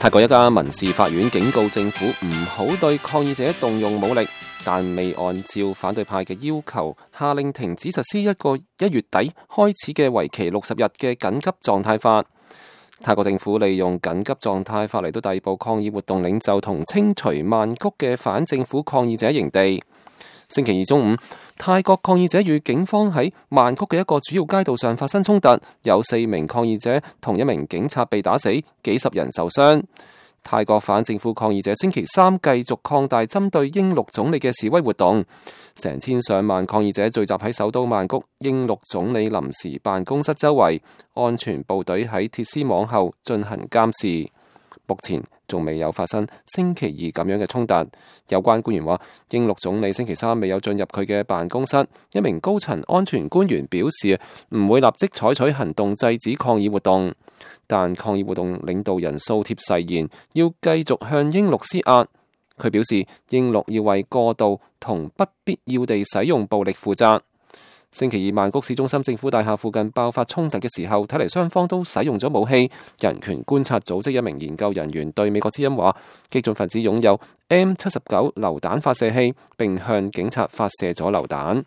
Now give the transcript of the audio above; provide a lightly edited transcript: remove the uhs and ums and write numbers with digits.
泰國一家民事法院警告政府唔好對抗議者動用武力，但未按照反對派嘅要求下令停止實施一個1月底開始嘅為期60日嘅緊急狀態法。泰國政府利用緊急狀態法嚟到逮捕抗議活動領袖同清除曼谷嘅反政府抗議者營地。星期二中午，泰國抗議者與警方喺曼谷嘅一個主要街道上發生衝突，有4名抗議者同1名警察被打死，幾十人受傷。泰國反政府抗議者星期三繼續擴大針對英祿總理嘅示威活動，成千上萬抗議者聚集喺首都曼谷英祿總理臨時辦公室周圍，安全部隊喺鐵絲網後進行監視。目前仲未有發生星期二咁樣嘅衝突。有關官員話，英祿總理星期三未有進入佢嘅辦公室。一名高層安全官員表示唔會立即採取行動制止抗議活動，但抗議活動領導人素貼誓言要繼續向英祿施壓。佢表示，英祿要為過度同不必要地使用暴力負責。星期二，曼谷市中心政府大廈附近爆發衝突嘅時候，睇嚟雙方都使用咗武器。人權觀察組織一名研究人員對美國之音話，激進分子擁有 M79 榴彈發射器，並向警察發射咗榴彈。